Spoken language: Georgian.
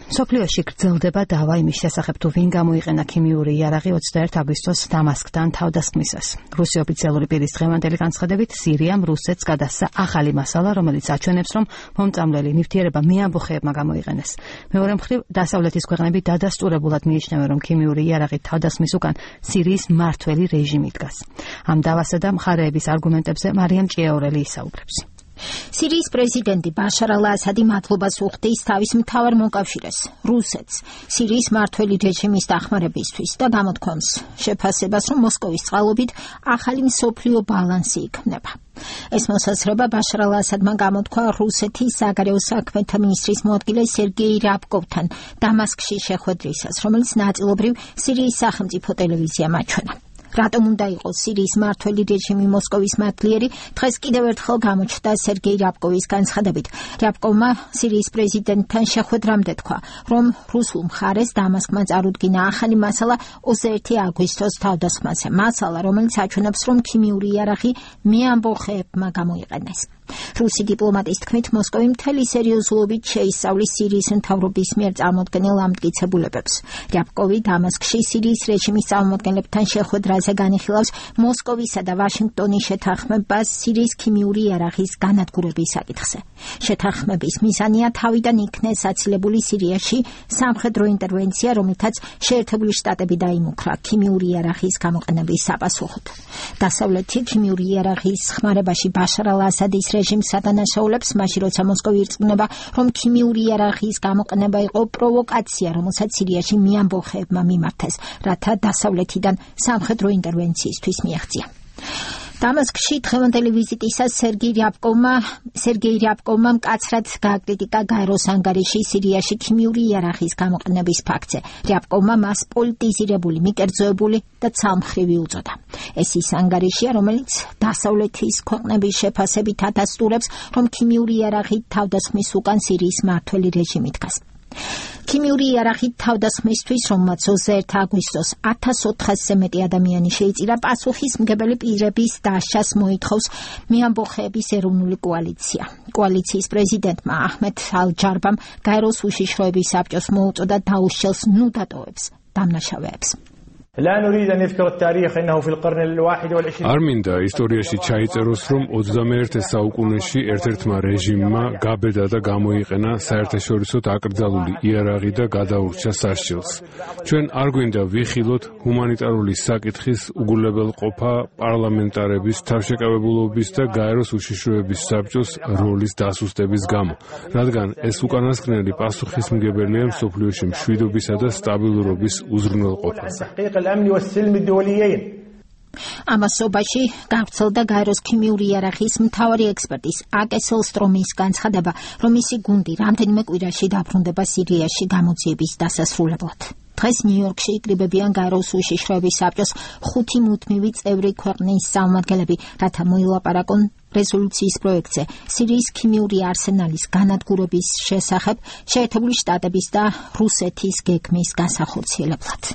სოფლიოში გრძელდება დავა იმის შესახებ, თუ ვინ გამოიყენა ქიმიური იარაღი 21 აგვისტოს დამასკთან თავდასხმისას. რუსი ოფიციალური პირის დღევანდელი განცხადებით, სირიამ რუსეთს გადასცა ახალი მასალა, რომელიც აჩვენებს, რომ მომწამლელი ნივთიერება მეამბოხეებმა გამოიყენეს. მეორე მხრივ, დასავლეთის ქვეყნები დადასტურებულად მიიჩნევენ, რომ ქიმიური იარაღით თავდასხმის უკან სირიის მმართველი რეჟიმი დგას. ამ დავასა და მხარეების არგუმენტებზე მარიამ ჭიაურელი ისაუბრებს. სირიის პრეზიდენტი ბაშარ ალ-ასადი მადლობას უხდის თავის მთავარ მოკავშირეს, რუსეთს, სირიის მმართველი რეჟიმის დახმარებისთვის და გამოთქვამს შეფასებას, რომ მოსკოვის წყალობით ახალი მსოფლიო ბალანსი იქმნება. ეს მოსაზრება ბაშარ ალ-ასადმა გამოთქვა რუსეთის საგარეო საქმეთა მინისტრის მოადგილე სერგეი რაბკოვთან დამასკში შეხვედრისას, რომელიც ნაწილობრივ სირიის სახელმწიფო ტელევიზიამ აჩვენა. რატომ უნდა იყოს სირიის მმართველი რეჟიმი მოსკოვის მადლიერი, დღეს კიდევ ერთხელ გამოჩნდა სერგეი რაბკოვის განცხადებით. რაბკოვმა სირიის პრეზიდენტთან შეხვედრამდე თქვა, რომ რუსულ მხარეს დამასკმა წარუდგინა ახალი მასალა 21 აგვისტოს თავდასხმაზე. მასალა, რომელიც აჩვენებს, რომ ქიმიური იარაღი მეამბოხეებმა გამოიყენეს. რუსი დიპლომატის თქმით, მოსკოვი მთელი სერიოზულობით შეისწავლის სირიის მთავრობის მიერ წარმოდგენილ ამტკიცებულებებს. რაბკოვი დამასკში სირიის რეჟიმის წარმომადგენლებთან შეხვედრაზე განიხილავს მოსკოვისა და ვაშინგტონის შეთანხმებას სირიის ქიმიური იარაღის განადგურების საკითხზე. შეთანხმების მიზანია თავიდან იქნეს აცილებული სირიაში სამხედრო ინტერვენცია, რომლითაც შეერთებული შტატები დაიმუქრა ქიმიური იარაღის გამოყენების საპასუხოდ. დასავლეთი ქიმიური იარაღის ხმარებაში ბაშარ ალ-ასადის რეჟიმს ადანაშაულებს, მაშინ როცა მოსკოვი ირწმუნება, რომ ქიმიური იარაღის გამოყენება იყო პროვოკაცია, რომელსაც სირიაში მეამბოხეებმა მიმართეს, რათა დასავლეთიდან სამხედრო ინტერვენციისთვის მიაღწია. დამასკში დღევანდელი ვიზიტისას სერგეი რაბკოვმა მკაცრად გააკრიტიკა გაეროს ანგარიში სირიაში ქიმიური იარაღის გამოყენების ფაქტზე. რაბკოვმა მას პოლიტიზირებული, მიკერძოებული და ცალმხრივი უწოდა. ეს ის ანგარიშია, რომელიც დასავლეთის ქვეყნების შეფასებით ადასტურებს, რომ ქიმიური იარაღით თავდასხმის უკან სირიის მმართველი რეჟიმი დგას. ქიმიური იარაღით თავდასხმისთვის, რომელმაც 21 აგვისტოს 1400-ზე მეტი ადამიანი შეიწირა, პასუხისმგებელი პირების დასჯას მოითხოვს მეამბოხეების ეროვნული კოალიცია. კოალიციის პრეზიდენტმა აჰმედ ალ-ჯარბამ გაეროს უშიშროების საბჭოს მოუწოდა დაუშლოს ნუ დატოვებს დამნაშავეებს. არ მინდა ისტორიაში ჩაიწეროს, რომ 21 საუკუნეში ერთ-ერთმა რეჟიმმა გაბედა და გამოიყენა საერთაშორისოდ აკრძალული იარაღი და გადაურჩა სასჯელს. ჩვენ არ გვინდა ვიხილოთ ჰუმანიტარული საკითხის უგულებელყოფა პარლამენტარების თავშეკავებულობის და გაეროს უშიშროების საბჭოს როლის დასუსტების გამო, რადგან ეს უკანასკნელი პასუხისმგებელია მსოფლიოში მშვიდობისა და სტაბილურობის უზრუნველყოფაზე. ამასობაში გავრცელდა გაეროს ქიმიური იარაღის მთავარი ექსპერტის აკე სელსტრომის განცხადება, რომ მისი გუნდი რამდენიმე კვირაში დაბრუნდება სირიაში გამოძიების დასასრულებლად. დღეს ნიუ-იორკში იკრიბებიან გაეროს უშიშროების საბჭოს 5 მუდმივი წევრი ქვეყნის წარმომადგენლები, რათა მოილაპარაკონ რეზოლუციის პროექტზე სირიის ქიმიური არსენალის განადგურების შესახებ შეერთებული შტატების და რუსეთის გეგმის განსახორციელებლად.